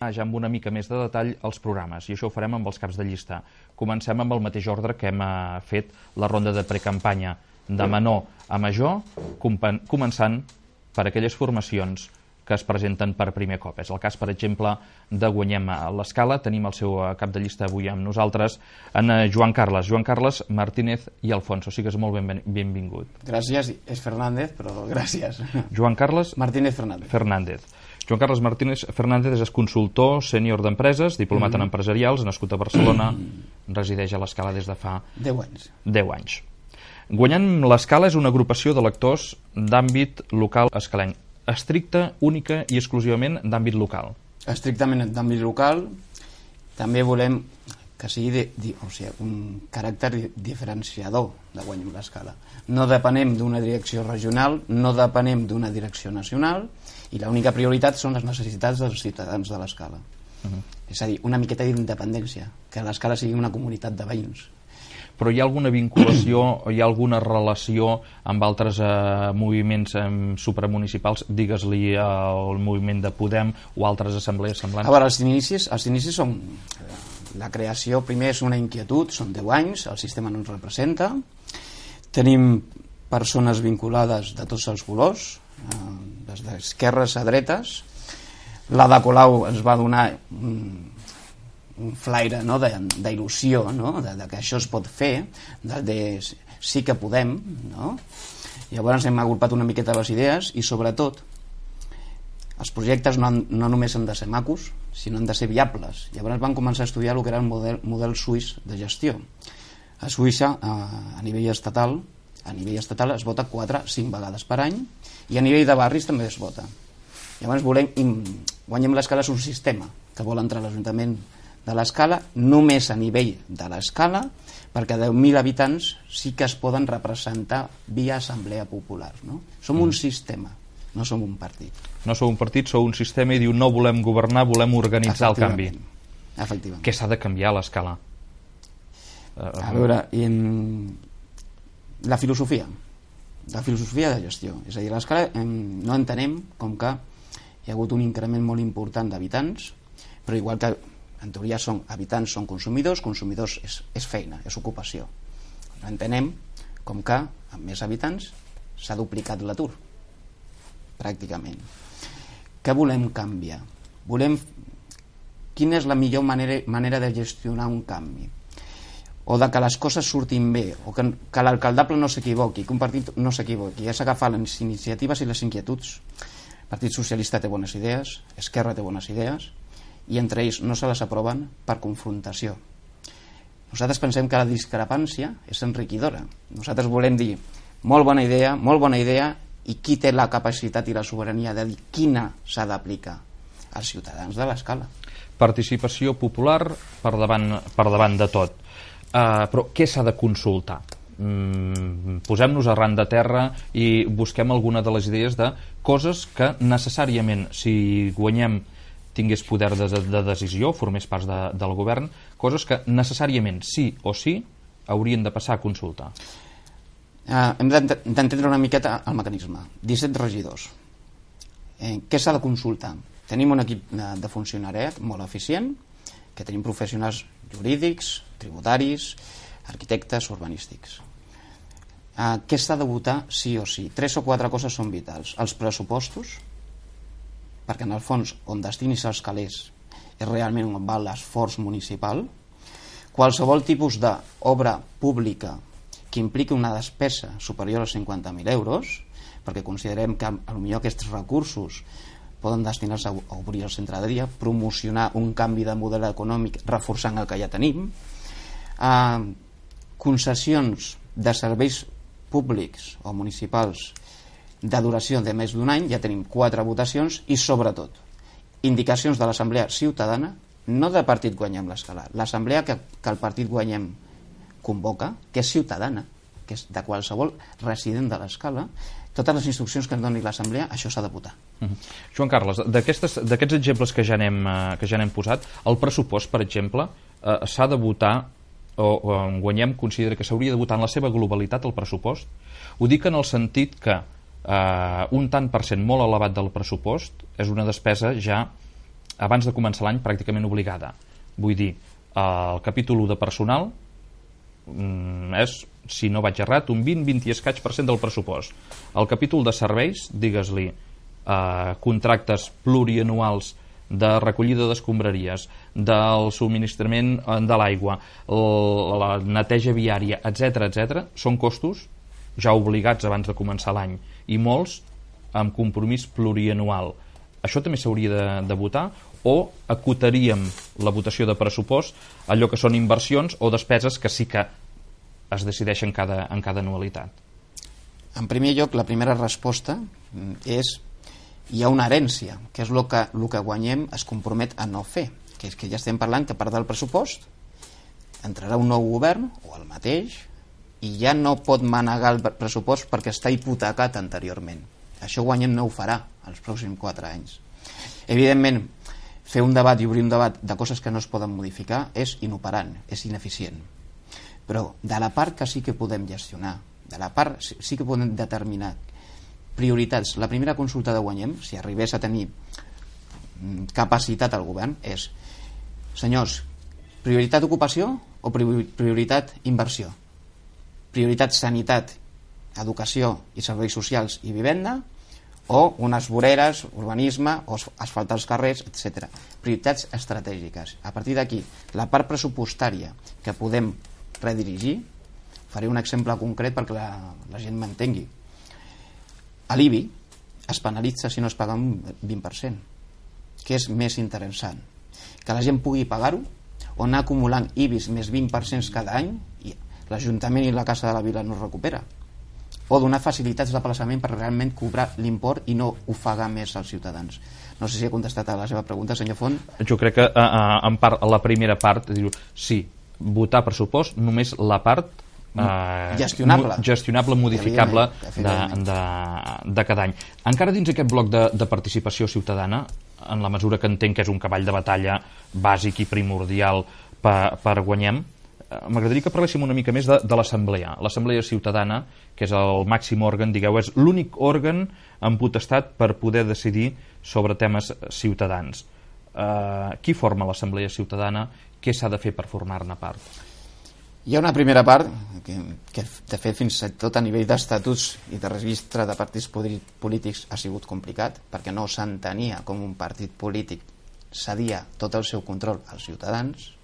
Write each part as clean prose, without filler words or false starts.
ja amb una mica més de detall els programes, i això ho farem amb els caps de llista. Comencem amb el mateix ordre que hem fet la ronda de precampanya, de menor a major, començant per aquelles formacions que es presenten per primer cop. És el cas, per exemple, de Guanyem l'Escala. Tenim el seu cap de llista avui amb nosaltres, en Joan Carles. Joan Carles Martínez i Alfonso. Sigues molt benvingut. Gràcies, és Fernández, però gràcies. Joan Carles Martínez Fernández. Joan Carles Martínez Fernández és consultor sènior d'empreses, diplomat en empresarials, nascut a Barcelona, resideix a l'Escala des de fa 10 anys. Guanyem l'Escala és una agrupació de lectors d'àmbit local escalenc, estricta, única i exclusivament d'àmbit local. Estrictament d'àmbit local. També volem que sigui un caràcter diferenciador de Guanyem l'Escala. No depenem d'una direcció regional, no depenem d'una direcció nacional, i l'única prioritat són les necessitats dels ciutadans de l'Escala. És a dir, una miqueta d'independència, que l'Escala sigui una comunitat de veïns. Però hi ha alguna vinculació o hi ha alguna relació amb altres moviments supramunicipals, digues-li el moviment de Podem o altres assemblees semblants? A veure, els inicis són... La creació, primer, és una inquietud, són 10 anys, el sistema no ens representa, tenim persones vinculades de tots els colors, des d'esquerres a dretes. L'Ada Colau ens va donar un flaire d'il·lusió, que això es pot fer, de sí que podem, no? Llavors hem agrupat una miqueta les idees i sobretot els projectes no només han de ser macos, sinó han de ser viables. Llavors van començar a estudiar el que era el model suís de gestió. A Suïssa, a nivell estatal es vota 4-5 vegades per any, i a nivell de barris també es vota. Llavors Guanyem l'Escala és un sistema que vol entrar a l'Ajuntament de l'Escala només a nivell de l'Escala, perquè 10.000 habitants sí que es poden representar via assemblea popular. Som un sistema, no som un partit. No sou un partit, sou un sistema, i diu no volem governar, volem organitzar el canvi. Efectivament. Què s'ha de canviar a l'Escala? A veure, la filosofia de gestió. És a dir, a l'Escala no entenem com que hi ha hagut un increment molt important d'habitants, però igual que en teoria habitants són consumidors és feina, és ocupació. No entenem com que amb més habitants s'ha duplicat l'atur, pràcticament. Què volem canviar? Quina és la millor manera de gestionar un canvi? O de que les coses surtin bé, o que l'alcaldable no s'equivoqui, que un partit no s'equivoqui. És agafar les iniciatives i les inquietuds. El Partit Socialista té bones idees, Esquerra té bones idees, i entre ells no se les aproven per confrontació. Nosaltres pensem que la discrepància és enriquidora. Nosaltres volem dir molt bona idea, i qui té la capacitat i la sobirania de dir quina s'ha d'aplicar? Els ciutadans de l'Escala. Participació popular per davant de tot. Però què s'ha de consultar? Posem-nos arran de terra i busquem alguna de les idees de coses que necessàriament, si Guanyem tingués poder de decisió, formés part del govern, coses que necessàriament, sí o sí, haurien de passar a consultar. Hem d'entendre una miqueta el mecanisme. 17 regidors. Què s'ha de consultar? Tenim un equip de funcionariat molt eficient, que tenim professionals jurídics, tributaris, arquitectes, urbanístics. Què s'ha de votar sí o sí? 3 o 4 coses són vitals. Els pressupostos, perquè en el fons on destinis els calés és realment on va l'esforç municipal. Qualsevol tipus d'obra pública que impliqui una despesa superior als 50.000 euros, perquè considerem que potser aquests recursos poden destinar-se a obrir el centre de dia, promocionar un canvi de model econòmic reforçant el que ja tenim, concessions de serveis públics o municipals de duració de més d'un any, ja tenim 4 votacions, i sobretot indicacions de l'Assemblea Ciutadana, no de Partit Guanyem l'Escala, l'Assemblea que el Partit Guanyem convoca, que és ciutadana, que és de qualsevol resident de l'Escala. Totes les instruccions que ens doni l'Assemblea, això s'ha de votar. Joan Carles, d'aquests exemples que ja n'hem posat, el pressupost, per exemple, s'ha de votar, o Guanyem considera que s'hauria de votar en la seva globalitat el pressupost? Ho dic en el sentit que un tant per cent molt elevat del pressupost és una despesa ja abans de començar l'any pràcticament obligada. Vull dir, el capítol 1 de personal és, si no vaig errat, un 20 i escaig % del pressupost. El capítol de serveis, digues-li, contractes plurianuals de recollida d'escombraries, del subministrament de l'aigua, la neteja viària, etc., són costos ja obligats abans de començar l'any, i molts amb compromís plurianual. Això també s'hauria de votar, o acotaríem la votació de pressupost allò que són inversions o despeses que sí que es decideixen en cada anualitat? En primer lloc, la primera resposta és: hi ha una herència, que és el que guanyem es compromet a no fer, que és que ja estem parlant que a part del pressupost entrarà un nou govern o el mateix i ja no pot manegar el pressupost perquè està hipotecat anteriorment. Això guanyem no ho farà els pròxims 4 anys. Evidentment, fer un debat i obrir un debat de coses que no es poden modificar és inoperant, és ineficient. Però de la part que sí que podem gestionar, de la part sí que podem determinar prioritats, la primera consulta de guanyem, si arribés a tenir capacitat al govern, és: senyors, prioritat ocupació o prioritat inversió? Prioritat sanitat, educació i serveis socials i vivenda, o unes voreres, urbanisme, o asfaltar els carrers, etc. Prioritats estratègiques. A partir d'aquí, la part pressupostària que podem redirigir, faré un exemple concret perquè la gent m'entengui. A l'IBI es penalitza si no es paga un 20%. Què és més interessant? Que la gent pugui pagar-ho o anar acumulant IBIs més 20% cada any i l'Ajuntament i la Casa de la Vila no es recupera? O donar facilitats d'aplaçament per realment cobrar l'import i no ofegar més als ciutadans? No sé si he contestat a la seva pregunta, senyor Font. Jo crec que en part, a la primera part, sí, votar pressupost, només la part gestionable, modificable de cada any. Encara dins aquest bloc de participació ciutadana, en la mesura que entenc que és un cavall de batalla bàsic i primordial per guanyem, m'agradaria que parléssim una mica més de l'Assemblea. L'Assemblea Ciutadana, que és el màxim òrgan, digueu, és l'únic òrgan amb potestat per poder decidir sobre temes ciutadans. Qui forma l'Assemblea Ciutadana? Què s'ha de fer per formar-ne part? Hi ha una primera part que de fet fins i tot a nivell d'estatuts i de registre de partits polítics ha sigut complicat, perquè no s'entenia com un partit polític cedia tot el seu control als ciutadans.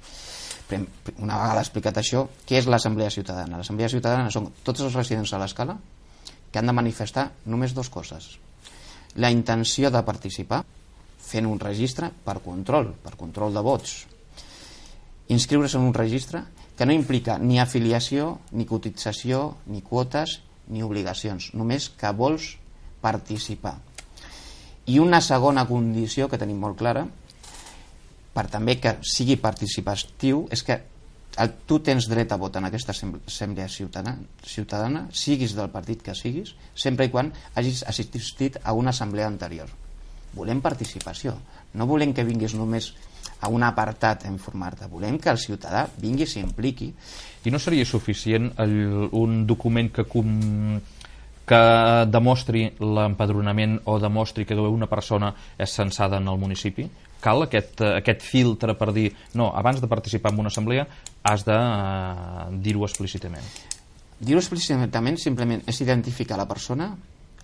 Una vegada explicat això, què és l'Assemblea Ciutadana? L'Assemblea Ciutadana són tots els residents a l'escala que han de manifestar només 2 coses: la intenció de participar fent un registre per control de vots, inscriure's en un registre que no implica ni afiliació, ni cotització, ni quotes, ni obligacions, només que vols participar. I una segona condició que tenim molt clara, per també que sigui participatiu, és que tu tens dret a vot en aquesta assemblea ciutadana, siguis del partit que siguis, sempre i quan hagis assistit a una assemblea anterior. Volem participació, no volem que vinguis només a un apartat a informar-te, volem que el ciutadà vingui i s'impliqui. I no seria suficient un document que demostri l'empadronament o demostri que una persona és censada en el municipi? Cal aquest filtre per dir no, abans de participar en una assemblea has de dir-ho explícitament? Dir-ho explícitament simplement és identificar la persona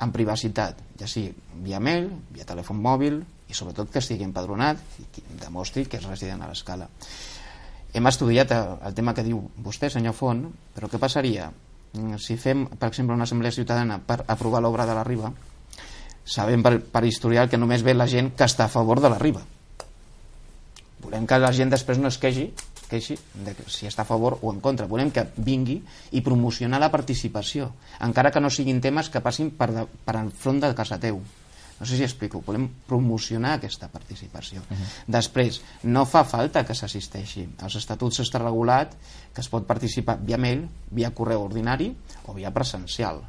amb privacitat, ja sigui via mail, via telèfon mòbil, i sobretot que estigui empadronat i que demostri que és resident a l'escala. Hem estudiat el tema que diu vostè, senyor Font, però què passaria si fem, per exemple, una assemblea ciutadana per aprovar l'obra de la Riba? Sabem per historial que només ve la gent que està a favor de la Riba. Volem que la gent després no es queixi de si està a favor o en contra. Volem que vingui i promocionar la participació, encara que no siguin temes que passin per al front de casa teu. No sé si explico, volem promocionar aquesta participació. Després, no fa falta que s'assisteixi. Als estatuts està regulat que es pot participar via mail, via correu ordinari o via presencial.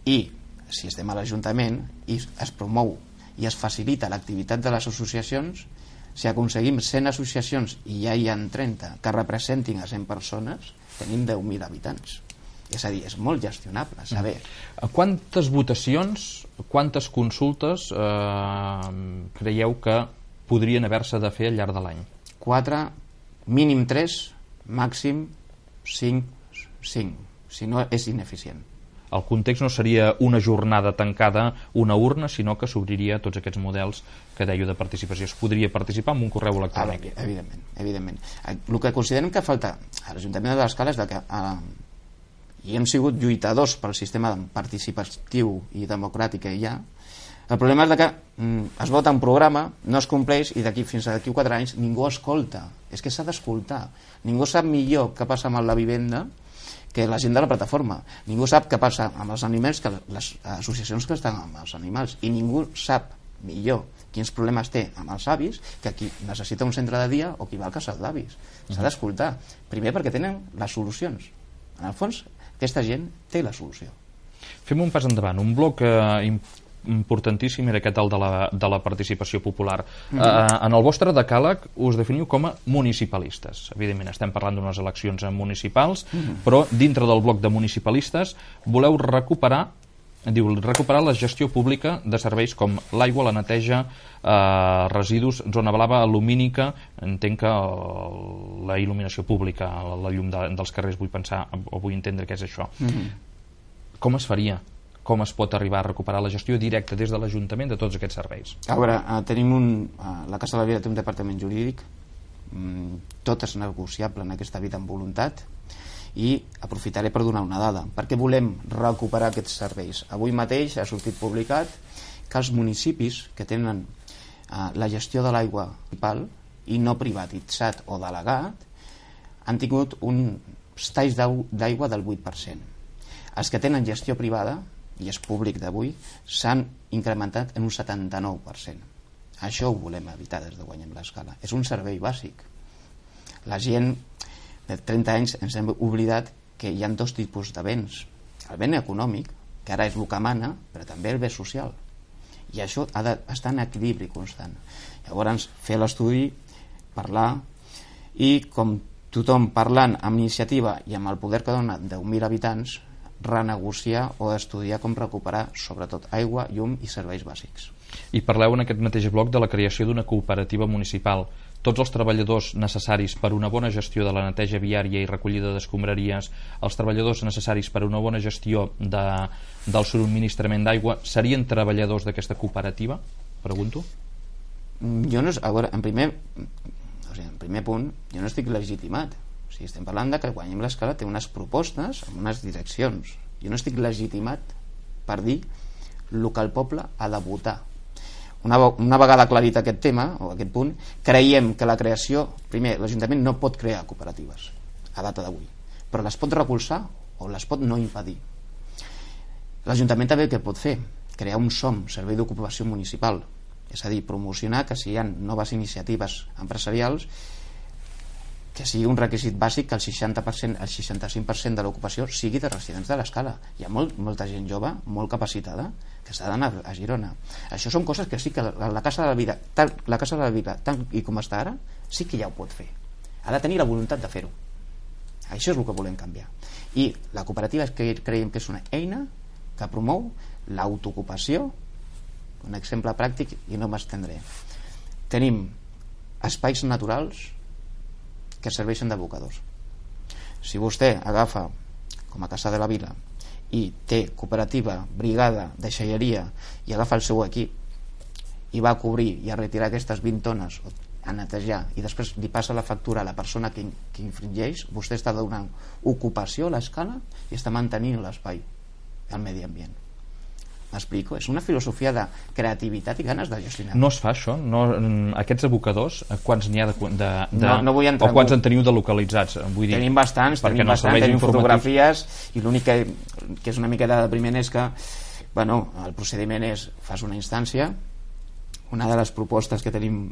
I si estem a l'Ajuntament i es promou i es facilita l'activitat de les associacions, si aconseguim 100 associacions i ja hi ha 30 que representin a 100 persones, tenim 10.000 habitants. És a dir, és molt gestionable saber. Quantes votacions, quantes consultes creieu que podrien haver-se de fer al llarg de l'any? 4, mínim 3, màxim 5, si no és ineficient. El context no seria una jornada tancada, una urna, sinó que s'obriria tots aquests models que dèieu de participació. Es podria participar amb un correu electrònic. Evidentment. El que considerem que falta a l'Ajuntament de l'Escala és que i hem sigut lluitadors pel sistema participatiu i democràtic que hi ha. El problema és que es vota un programa, no es compleix i fins a d'aquí 4 anys ningú escolta. És que s'ha d'escoltar. Ningú sap millor què passa amb la vivenda que la gent de la plataforma. Ningú sap què passa amb els animals que les associacions que estan amb els animals, i ningú sap millor quins problemes té amb els avis que qui necessita un centre de dia o qui va al casal d'avis. S'ha d'escoltar. Primer perquè tenen les solucions. En el fons, aquesta gent té la solució. Fem un pas endavant. Un bloc importantíssim era aquest de la participació popular. En el vostre decàleg us definiu com a municipalistes. Evidentment estem parlant d'unes eleccions municipals, però dintre del bloc de municipalistes voleu recuperar la gestió pública de serveis com l'aigua, la neteja, residus, zona blava, lumínica, entenc que la il·luminació pública, la llum dels carrers, vull pensar o vull entendre què és això. Com es faria? Com es pot arribar a recuperar la gestió directa des de l'Ajuntament de tots aquests serveis? A veure, la Casa de la Vila té un departament jurídic, tot és negociable en aquesta vida amb voluntat, i aprofitaré per donar una dada. Per què volem recuperar aquests serveis? Avui mateix ha sortit publicat que els municipis que tenen la gestió de l'aigua municipal i no privatitzat o delegat han tingut uns talls d'aigua del 8%. Els que tenen gestió privada, i és públic d'avui, s'han incrementat en un 79%. Això ho volem evitar des de Guanyem l'Escala. És un servei bàsic. La gent de 30 anys ens hem oblidat que hi ha 2 tipus de béns. El bé econòmic, que ara és el que mana, però també el bé social. I això ha d'estar en equilibri constant. Llavors, fer l'estudi, parlar, i com tothom parlant amb iniciativa i amb el poder que dona 10.000 habitants, renegociar o estudiar com recuperar sobretot aigua, llum i serveis bàsics. I parleu en aquest mateix bloc de la creació d'una cooperativa municipal. Tots els treballadors necessaris per una bona gestió de la neteja viària i recollida d'escombraries, els treballadors necessaris per una bona gestió del subministrament d'aigua, serien treballadors d'aquesta cooperativa? Pregunto. Jo no, a veure, en primer punt, jo no estic legitimat. O sigui, estem parlant de que Guanyem l'Escala té unes propostes amb unes direccions. Jo no estic legitimat per dir el que el poble ha de votar. Una vegada aclarit aquest tema o aquest punt, creiem que la creació, primer, l'Ajuntament no pot crear cooperatives a data d'avui, però les pot recolzar o les pot no impedir. L'Ajuntament també què pot fer? Crear un SOM, Servei d'Ocupació Municipal, és a dir, promocionar que si hi ha noves iniciatives empresarials, que sigui un requisit bàsic que el 60%, el 65% de l'ocupació sigui de residents de l'Escala. Hi ha molta gent jove, molt capacitada, que s'ha d'anar a Girona. Això són coses que sí que la Casa de la Vila, tal i com està ara, sí que ja ho pot fer. Ha de tenir la voluntat de fer-ho. Això és el que volem canviar. I la cooperativa és que creiem que és una eina que promou l'autoocupació. Un exemple pràctic, i no m'estendré. Tenim espais naturals que serveixen d'abocadors. Si vostè agafa com a Casa de la Vila i té cooperativa, brigada, deixalleria, i agafa el seu equip i va a cobrir i a retirar aquestes 20 tones a netejar i després li passa la factura a la persona que infringeix, vostè està donant ocupació a l'Escala i està mantenint l'espai, el medi ambient. M'explico? És una filosofia de creativitat i ganes de gestionar. No es fa això? No, aquests abocadors, quants n'hi ha no vull entrar o quants en teniu de localitzats? Vull dir, tenim bastants, tenim fotografies, i l'únic que és una miqueta depriment és que el procediment és, fas una instància. Una de les propostes que tenim,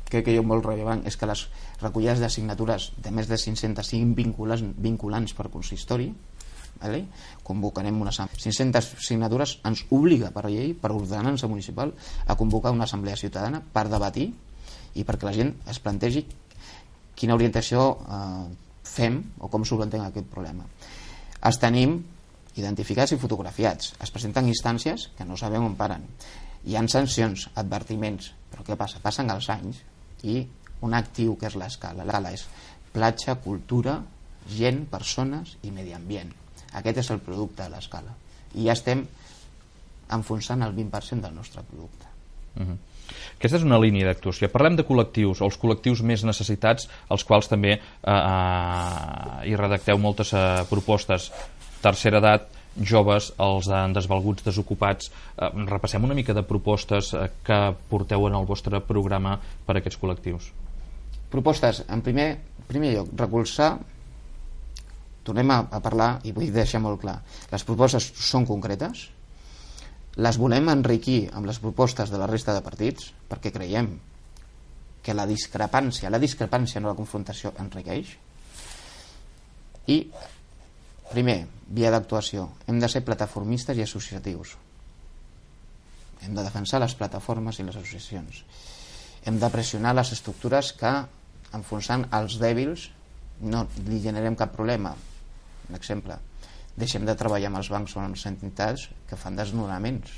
crec que és molt rellevant, és que les recollides de signatures de més de 500 siguin vinculants per consistori. Convocarem unes 500 signatures, ens obliga per llei, per ordenança municipal, a convocar una assemblea ciutadana per debatir i perquè la gent es plantegi quina orientació fem o com solventem aquest problema. Els tenim identificats i fotografiats, es presenten instàncies que no sabem on paren, hi ha sancions, advertiments, però què passa? Passen els anys i un actiu que és l'escala. L'escala és platja, cultura, gent, persones i medi ambient. Aquest és el producte de l'escala. I ja estem enfonsant el 20% del nostre producte. Aquesta és una línia d'actuació. Parlem de col·lectius, o els col·lectius més necessitats, als quals també hi redacteu moltes propostes. Tercera edat, joves, els desvalguts, desocupats. Repassem una mica de propostes que porteu en el vostre programa per a aquests col·lectius. Propostes, en primer lloc, recolzar. Tornem a parlar, i vull deixar molt clar, les propostes són concretes, les volem enriquir amb les propostes de la resta de partits, perquè creiem que la discrepància no la confrontació enriqueix. I primer, via d'actuació, hem de ser plataformistes i associatius, hem de defensar les plataformes i les associacions, hem de pressionar les estructures que, enfonsant els dèbils, no li generem cap problema. Un exemple, deixem de treballar amb els bancs o amb les entitats que fan desnonaments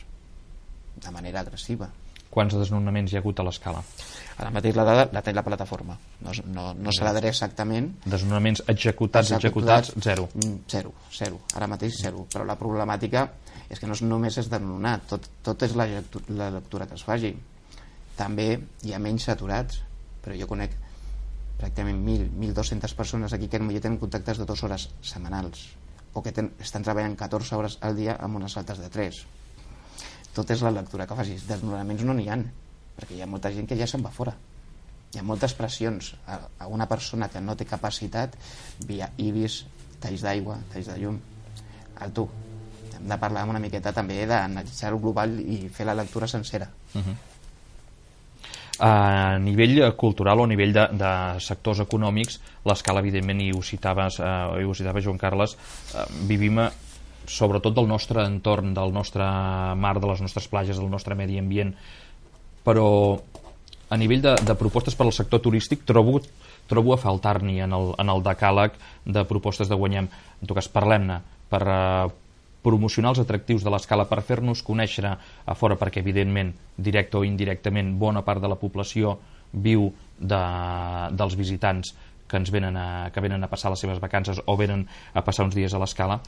de manera agressiva. Quants desnonaments hi ha hagut a l'escala? Ara mateix la dada la té la plataforma, no se la daré exactament. Desnonaments executats, zero. Zero, ara mateix zero, però la problemàtica és que no només és desnonar, tot és la lectura que es faci. També hi ha menys aturats, però jo conec pràcticament 1.200 persones aquí que ja tenen contactes de 2 hores setmanals o que estan treballant 14 hores al dia amb unes altes de 3. Tot és la lectura que facis. Desnonaments no n'hi ha, perquè hi ha molta gent que ja se'n va fora. Hi ha moltes pressions a una persona que no té capacitat via IBIS, talls d'aigua, talls de llum. Alto, hem de parlar una miqueta també d'analitzar el global i fer la lectura sencera. A nivell cultural o a nivell de sectors econòmics, l'escala, evidentment, i ho citava Joan Carles, vivim sobretot del nostre entorn, del nostre mar, de les nostres platges, del nostre medi ambient, però a nivell de propostes per al sector turístic trobo a faltar-n'hi en el decàleg de propostes de Guanyem. En tot cas, parlem-ne per promocionar els atractius de l'escala, per fer-nos conèixer a fora, perquè evidentment, directe o indirectament, bona part de la població viu dels visitants que venen a passar les seves vacances o venen a passar uns dies a l'escala.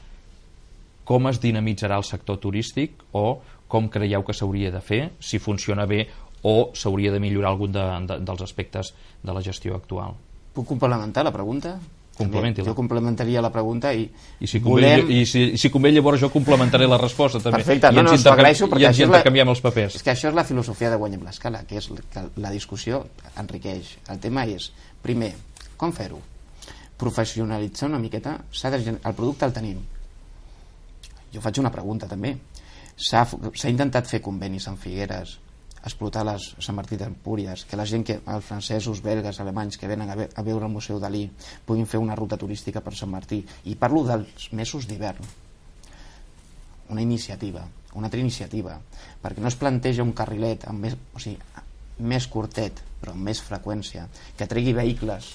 Com es dinamitzarà el sector turístic, o com creieu que s'hauria de fer, si funciona bé o s'hauria de millorar algun dels aspectes de la gestió actual? Puc complementar la pregunta? Complementi-la. Jo complementaria la pregunta i si convé llavors jo complementaré la resposta també. Perfecte, s'ho agraeixo perquè ens intercanviem els papers. És que això és la filosofia de Guanyem l'escala, que és que la discussió enriqueix. El tema és, primer, com fer-ho? Professionalitzar una miqueta, el producte el tenim. Jo faig una pregunta també. S'ha intentat fer convenis amb Figueres, explotar les Sant Martí d'Empúries, que la gent, els francesos, belgues, alemanys que venen a veure el Museu Dalí puguin fer una ruta turística per Sant Martí. I parlo dels mesos d'hivern. Una altra iniciativa, perquè no es planteja un carrilet més curtet, però amb més freqüència, que tregui vehicles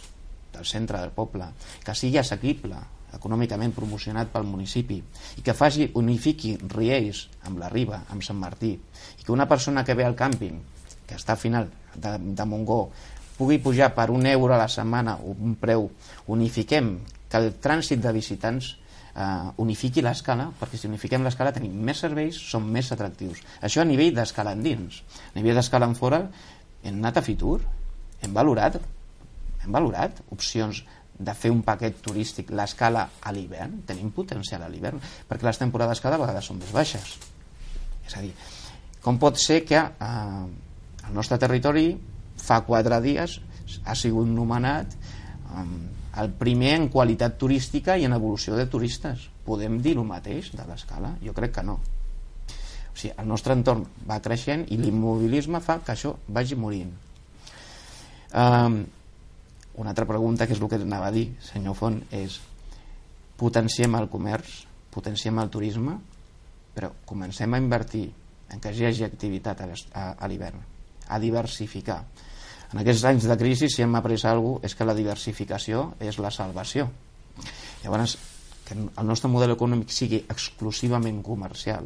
del centre del poble, que sigui assequible, econòmicament promocionat pel municipi, i que unifiqui Riells amb la Riba, amb Sant Martí, i que una persona que ve al càmping, que està al final de Montgó, pugui pujar per €1 a la setmana, un preu, unifiquem, que el trànsit de visitants unifiqui l'escala, perquè si unifiquem l'escala tenim més serveis, som més atractius. Això a nivell d'escala endins. A nivell d'escala en fora hem anat a Fitur, hem valorat opcions de fer un paquet turístic, l'escala a l'hivern. Tenim potencial a l'hivern, perquè les temporades cada vegada són més baixes. És a dir, com pot ser que el nostre territori fa 4 dies ha sigut nomenat el primer en qualitat turística i en evolució de turistes? Podem dir el mateix de l'escala? Jo crec que no. O sigui, el nostre entorn va creixent i l'immobilisme fa que això vagi morint. Una altra pregunta, que és el que anava a dir, senyor Font, és: potenciem el comerç, potenciem el turisme, però comencem a invertir en que hi hagi activitat a l'hivern, a diversificar. En aquests anys de crisi, si hem après alguna cosa, és que la diversificació és la salvació. Llavors, que el nostre model econòmic sigui exclusivament comercial,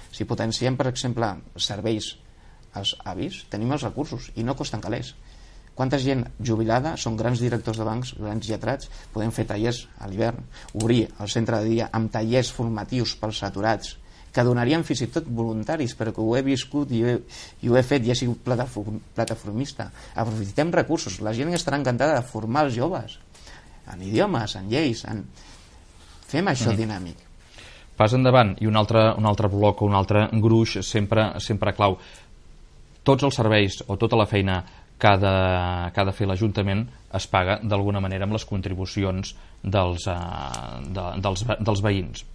si potenciem, per exemple, serveis als avis, tenim els recursos i no costen calés. Quanta gent jubilada són grans directors de bancs, grans lletrats, podem fer tallers a l'hivern, obrir el centre de dia amb tallers formatius pels aturats, que donarien fins i tot voluntaris, perquè ho he viscut i ho he fet i he sigut plataformista. Aprofitem recursos, la gent estarà encantada de formar els joves en idiomes, en lleis, fem això dinàmic. Pas endavant, i un altre bloc o un altre gruix sempre clau. Tots els serveis o tota la feina que ha de fer l'Ajuntament es paga d'alguna manera amb les contribucions dels veïns.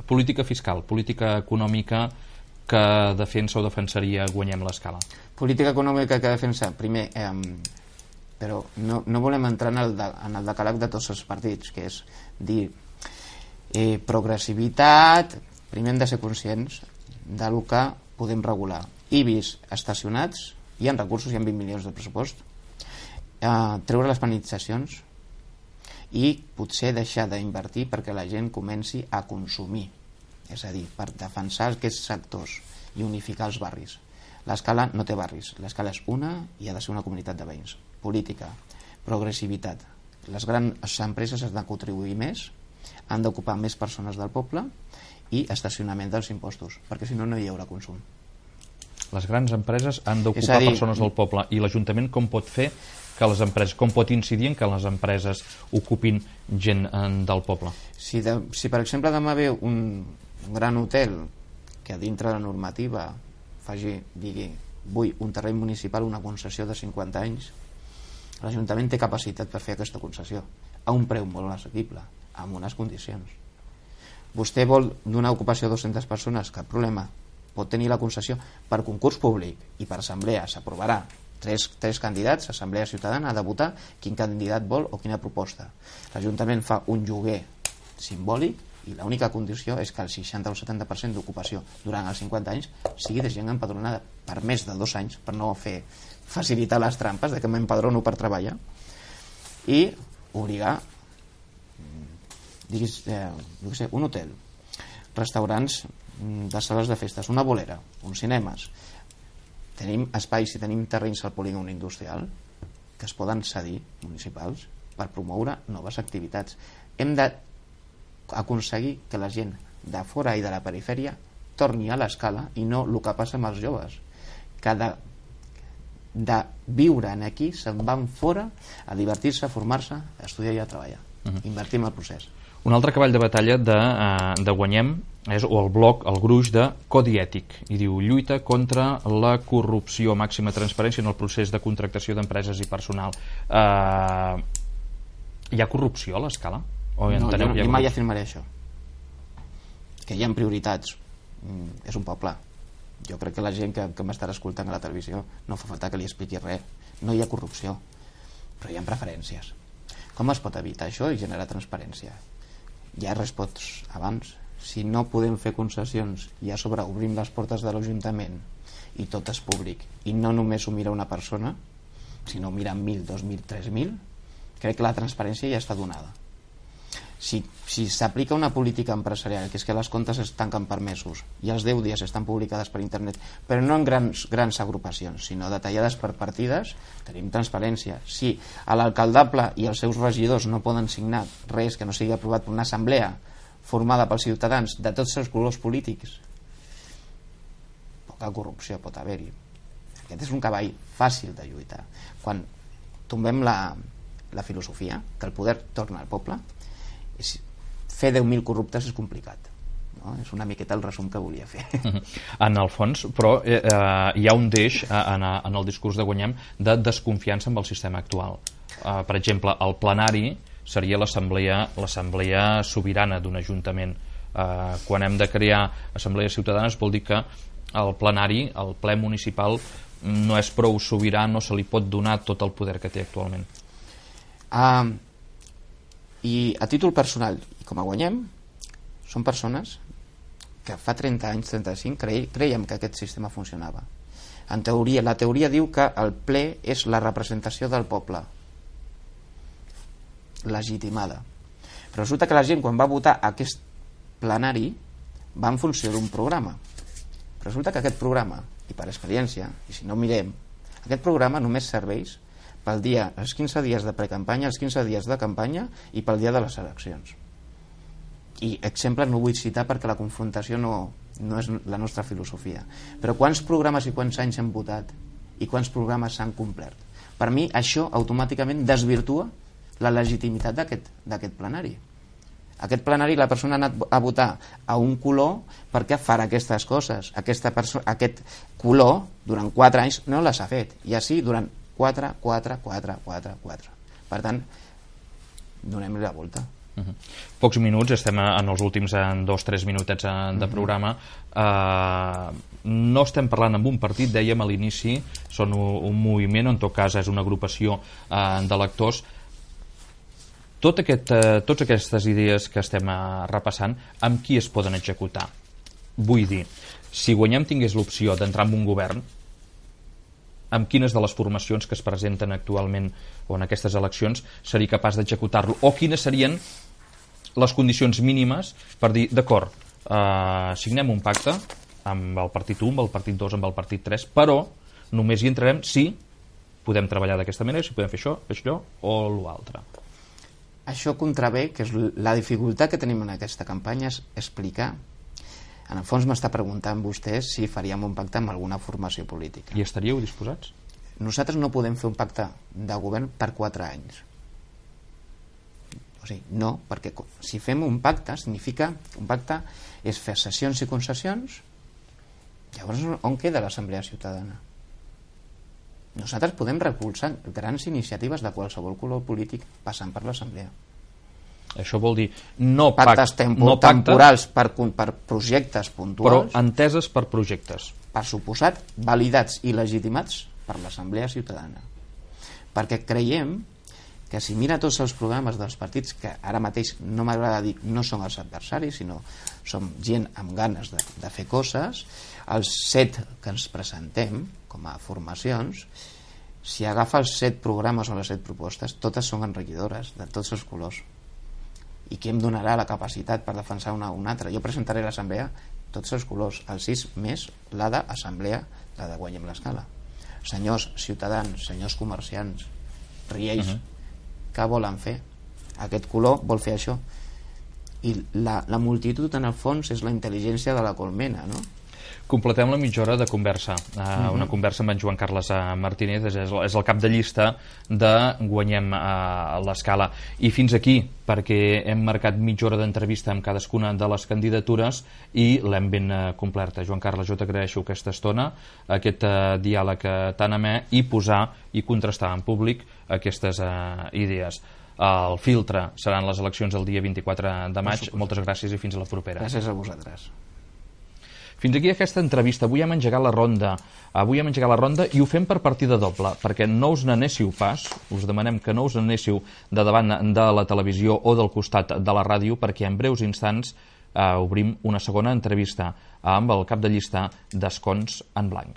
Política fiscal, política econòmica que defensa o defensaria Guanyem l'Escala. Política econòmica que defensa, primer, però no volem entrar en el decàleg de tots els partits, que és dir progressivitat. Primer hem de ser conscients del que podem regular. IBIs estacionats, hi ha recursos, hi ha 20 milions de pressupost, treure les penalitzacions i potser deixar d'invertir perquè la gent comenci a consumir, és a dir, per defensar aquests sectors i unificar els barris. L'Escala no té barris, l'Escala és una i ha de ser una comunitat de veïns. Política, progressivitat, les grans empreses han de contribuir més, han d'ocupar més persones del poble i estacionament dels impostos, perquè si no, no hi haurà consum. Les grans empreses han d'ocupar persones del poble, i l'Ajuntament com pot fer que les empreses, com pot incidir en que les empreses ocupin gent del poble? Si per exemple demà ve un gran hotel que dintre de la normativa digui vull un terreny municipal, una concessió de 50 anys, l'Ajuntament té capacitat per fer aquesta concessió a un preu molt assequible, amb unes condicions. Vostè vol donar ocupació a 200 persones, cap problema, pot tenir la concessió per concurs públic i per assemblea, s'aprovarà tres candidats, assemblea ciutadana ha de votar quin candidat vol o quina proposta. L'Ajuntament fa un lloguer simbòlic i l'única condició és que el 60 o 70% d'ocupació durant els 50 anys sigui de gent empadronada per més de 2 anys, per no facilitar les trampes de que m'empadrono per treballar, i obligar un hotel, restaurants de sales de festes, una bolera, uns cinemes. Tenim espais i tenim terrenys al polígon industrial que es poden cedir municipals per promoure noves activitats. Hem d'aconseguir que la gent de fora i de la perifèria torni a l'Escala i no el que passa amb els joves, que de viure aquí se'n van fora a divertir-se, a formar-se, a estudiar i a treballar. Invertir en el procés. Un altre cavall de batalla de Guanyem és el bloc, el gruix de Codi Ètic, i diu: lluita contra la corrupció, màxima transparència en el procés de contractació d'empreses i personal. Hi ha corrupció a l'Escala? No, jo mai afirmaré això, que hi ha prioritats. És un poble. Jo crec que la gent que m'estarà escoltant a la televisió no fa falta que li expliqui res. No hi ha corrupció, però hi ha preferències. Com es pot evitar això i generar transparència? Ja respots abans. Si no podem fer concessions i a sobre obrim les portes de l'Ajuntament i tot és públic i no només ho mira una persona, sinó ho miren 1.000, 2.000, 3.000, crec que la transparència ja està donada. Si s'aplica una política empresarial, que és que les comptes es tanquen per mesos i els 10 dies estan publicades per internet, però no en grans agrupacions, sinó detallades per partides, tenim transparència. Si l'alcaldable i els seus regidors no poden signar res que no sigui aprovat per una assemblea formada pels ciutadans de tots els colors polítics, poca corrupció pot haver-hi. Aquest és un cavall fàcil de lluitar. Quan tombem la filosofia que el poder torna al poble, fer 10.000 corruptes és complicat, no? És una miqueta el resum que volia fer. En el fons, però, hi ha un deix en el discurs de Guanyem de desconfiança amb el sistema actual. Per exemple, el plenari seria l'assemblea sobirana d'un ajuntament. Quan hem de crear assemblees ciutadanes vol dir que el plenari, el ple municipal, no és prou sobirà, no se li pot donar tot el poder que té actualment. I a títol personal, i com a Guanyem, són persones que fa 30 anys, 35, creiem que aquest sistema funcionava. En teoria, la teoria diu que el ple és la representació del poble, legitimada. Però resulta que la gent, quan va votar aquest plenari, va en funció d'un programa. Però resulta que aquest programa, i per experiència, i si no mirem, aquest programa només serveix pel dia, els 15 dies de precampanya, els 15 dies de campanya i pel dia de les eleccions. I exemples no vull citar perquè la confrontació no és la nostra filosofia. Però quants programes i quants anys hem votat i quants programes s'han complert? Per mi això automàticament desvirtua la legitimitat d'aquest plenari. Aquest plenari la persona ha anat a votar a un color perquè farà aquestes coses. Aquest color durant 4 anys no les ha fet, i així durant 4. Per tant, donem-li la volta. Pocs minuts, estem en els últims 2-3 minutets de programa. No estem parlant amb un partit, dèiem a l'inici, són un moviment, en tot cas és una agrupació d'electors. Totes aquestes idees que estem repassant, amb qui es poden executar? Vull dir, si Guanyem tingués l'opció d'entrar en un govern, amb quines de les formacions que es presenten actualment o en aquestes eleccions seria capaç d'executar-lo? O quines serien les condicions mínimes per dir, d'acord, signem un pacte amb el partit 1, amb el partit 2, amb el partit 3, però només hi entrarem si podem treballar d'aquesta manera, si podem fer això, allò o l'altre. Això contravé, que és la dificultat que tenim en aquesta campanya, és explicar. En el fons m'està preguntant vostè si faríem un pacte amb alguna formació política. I estaríeu disposats? Nosaltres no podem fer un pacte de govern per 4 anys. O sigui, no, perquè si fem un pacte, significa un pacte és fer cessions i concessions. Llavors, on queda l'Assemblea Ciutadana? Nosaltres podem recolzar grans iniciatives de qualsevol color polític passant per l'Assemblea. Això vol dir no pactes temporals per projectes puntuals, però enteses per projectes, per suposat validats i legitimats per l'Assemblea Ciutadana, perquè creiem que si mira tots els programes dels partits, que ara mateix no m'agrada dir no són els adversaris, sinó som gent amb ganes de fer coses, els 7 que ens presentem com a formacions, si agafa els 7 programes o les 7 propostes, totes són enriquidores de tots els colors. I qui em donarà la capacitat per defensar una o una altra? Jo presentaré a l'Assemblea tots els colors, el 6 més la d'Assemblea, la de Guanyem l'Escala. Senyors ciutadans, senyors comerciants, riells, què volen fer? Aquest color vol fer això. I la multitud, en el fons, és la intel·ligència de la colmena, no? Completem la mitja hora de conversa, una conversa amb en Joan Carles Martínez, és el cap de llista de Guanyem l'Escala. I fins aquí, perquè hem marcat mitja hora d'entrevista amb cadascuna de les candidatures i l'hem ben complerta. Joan Carles, jo t'agraeixo aquesta estona, aquest diàleg tan amè, i posar i contrastar en públic aquestes idees. El filtre seran les eleccions el dia 24 de maig. Moltes gràcies i fins a la propera. Gràcies a vosaltres. Fins aquí aquesta entrevista. Avui hem engegat la ronda i ho fem per partida doble, perquè no us n'anéssiu pas, us demanem que no us n'anéssiu de davant de la televisió o del costat de la ràdio, perquè en breus instants obrim una segona entrevista amb el cap de llista d'Escons en Blanc.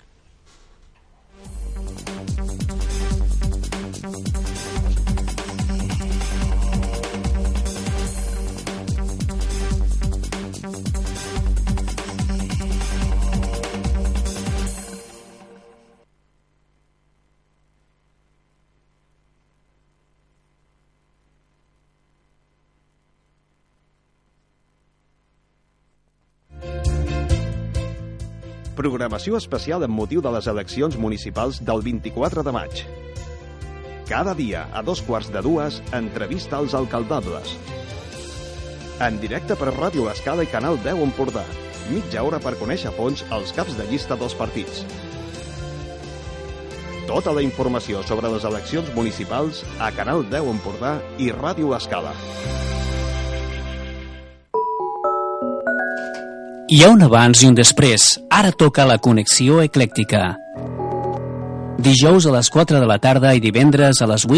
Programació especial amb motiu de les eleccions municipals del 24 de maig. Cada dia, a 2:15, entrevista als alcaldables. En directe per Ràdio L'Escala i Canal 10 Empordà. Mitja hora per conèixer a fons els caps de llista dels partits. Tota la informació sobre les eleccions municipals a Canal 10 Empordà i Ràdio L'Escala. Hi ha un abans i un després. Ara toca la connexió eclèctica. Dijous a les 4 de la tarda i divendres a les 8.